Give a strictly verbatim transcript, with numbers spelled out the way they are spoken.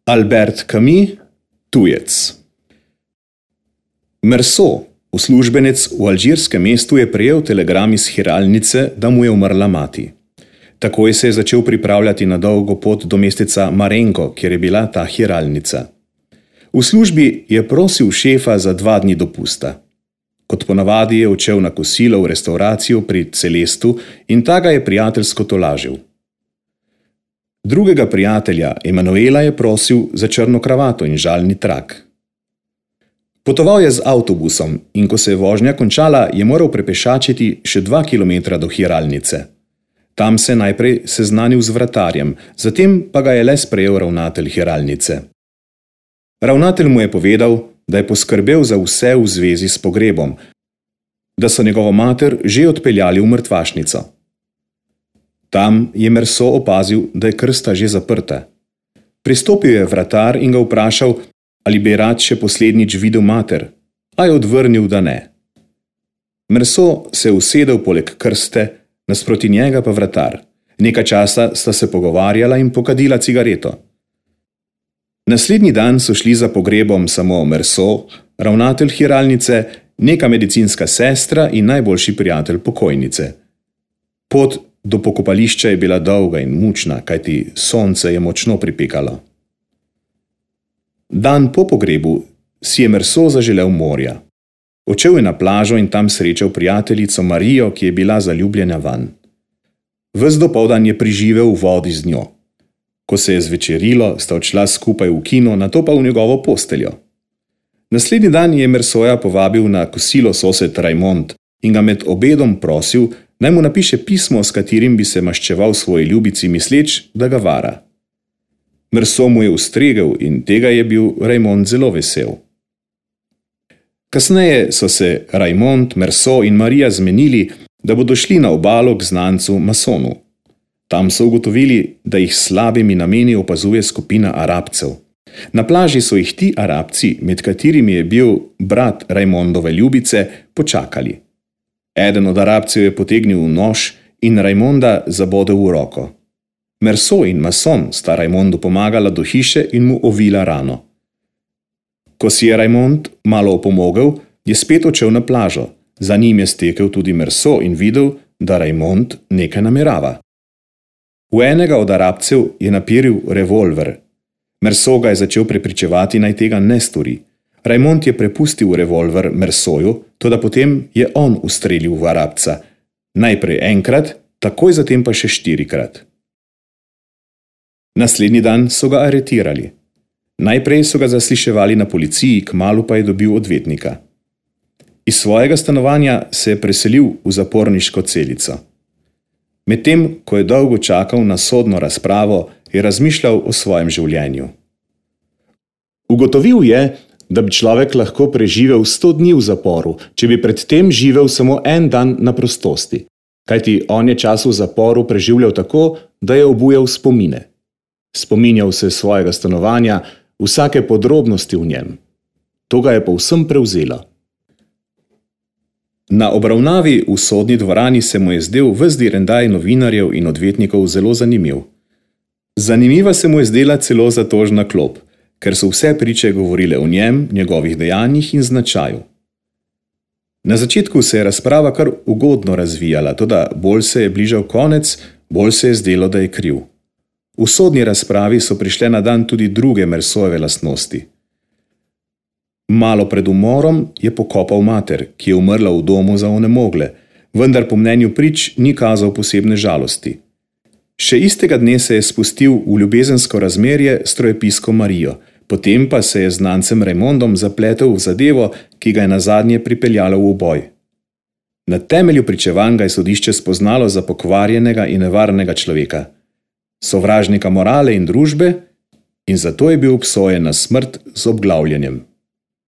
Albert Camus, tujec. Merceau, uslužbenec v alžirskem mestu, je prejel telegram iz hiralnice, da mu je umrla mati. Takoj se je začel pripravljati na dolgo pot do mesteca Marengo, kjer je bila ta hiralnica. V službi je prosil šefa za dva dni dopusta. Kot ponavadi je odšel na kosilo v restavracijo pri Celestu in ta ga je prijateljsko tolažil. Drugega prijatelja, Emanuela, je prosil za črno kravato in žalni trak. Potoval je z avtobusom in ko se je vožnja končala, je moral prepešačiti še dva kilometra do hiralnice. Tam se je najprej seznanil z vratarjem, zatem pa ga je le sprejel ravnatelj hiralnice. Ravnatelj mu je povedal, da je poskrbel za vse v zvezi s pogrebom, da so njegovo mater že odpeljali v mrtvašnico. Tam je Merceau opazil, da je krsta že zaprta. Pristopil je vratar in ga vprašal, ali bi rad še poslednjič videl mater, a je odvrnil, da ne. Merceau se je usedel poleg krste, nasproti njega pa vratar. Nekaj časa sta se pogovarjala in pokadila cigareto. Naslednji dan so šli za pogrebom samo Merceau, ravnatelj hiralnice, neka medicinska sestra in najboljši prijatelj pokojnice. Pot do pokopališča je bila dolga in mučna, kajti sonce je močno pripekalo. Dan po pogrebu si je Merceau zaželel morja. Odšel je na plažo in tam srečal prijateljico Marijo, ki je bila zaljubljena vanj. Ves dopoldan je preživel v vodi z njo. Ko se je zvečerilo, sta odšla skupaj v kino, nato pa v njegovo posteljo. Naslednji dan je Merceauja povabil na kosilo sosed Raymond in ga med obedom prosil, naj mu napiše pismo, s katerim bi se maščeval svoji ljubici, misleč, da ga vara. Merceau mu je ustregel in tega je bil Raymond zelo vesel. Kasneje so se Raymond, Merceau in Marija zmenili, da bodo šli na obalo k znancu Masonu. Tam so ugotovili, da jih slabimi nameni opazuje skupina Arabcev. Na plaži so jih ti Arabci, med katerimi je bil brat Raymondove ljubice, počakali. Eden od Arabcev je potegnil nož in Raymonda zabodel v roko. Merceau in Mason sta Raymondu pomagala do hiše in mu ovila rano. Ko si je Raymond malo opomogel, je spet odšel na plažo. Za njim je stekel tudi Merceau in videl, da Raymond nekaj namerava. V enega od Arabcev je napiril revolver. Merceau ga je začel prepričevati, naj tega ne stori. Raymond je prepustil revolver Merceauju, toda potem je on ustrelil v Arabca. Najprej enkrat, takoj zatem pa še štirikrat. Naslednji dan so ga aretirali. Najprej so ga zasliševali na policiji, kmalu pa je dobil odvetnika. Iz svojega stanovanja se je preselil v zaporniško celico. Medtem, ko je dolgo čakal na sodno razpravo, je razmišljal o svojem življenju. Ugotovil je, da bi človek lahko preživel sto dni v zaporu, če bi predtem živel samo en dan na prostosti, kajti on je čas v zaporu preživljal tako, da je obujal spomine. Spominjal se svojega stanovanja, vsake podrobnosti v njem. To ga je povsem prevzelo. Na obravnavi v sodni dvorani se mu je zdel ves direndaj novinarjev in odvetnikov zelo zanimiv. Zanimiva se mu je zdela celo zatožna klop, ker so vse priče govorile o njem, njegovih dejanjih in značaju. Na začetku se je razprava kar ugodno razvijala, toda bolj se je bližal konec, bolj se je zdelo, da je kriv. V sodni razpravi so prišle na dan tudi druge Merceauove lastnosti. Malo pred umorom je pokopal mater, ki je umrla v domu za onemogle, vendar po mnenju prič ni kazal posebne žalosti. Še istega dne se je spustil v ljubezensko razmerje s strojepisko Marijo, potem pa se je z znancem Raymondom zapletel v zadevo, ki ga je nazadnje pripeljalo v uboj. Na temelju pričevanj ga je sodišče spoznalo za pokvarjenega in nevarnega človeka, sovražnika morale in družbe, in zato je bil obsojen na smrt z obglavljanjem.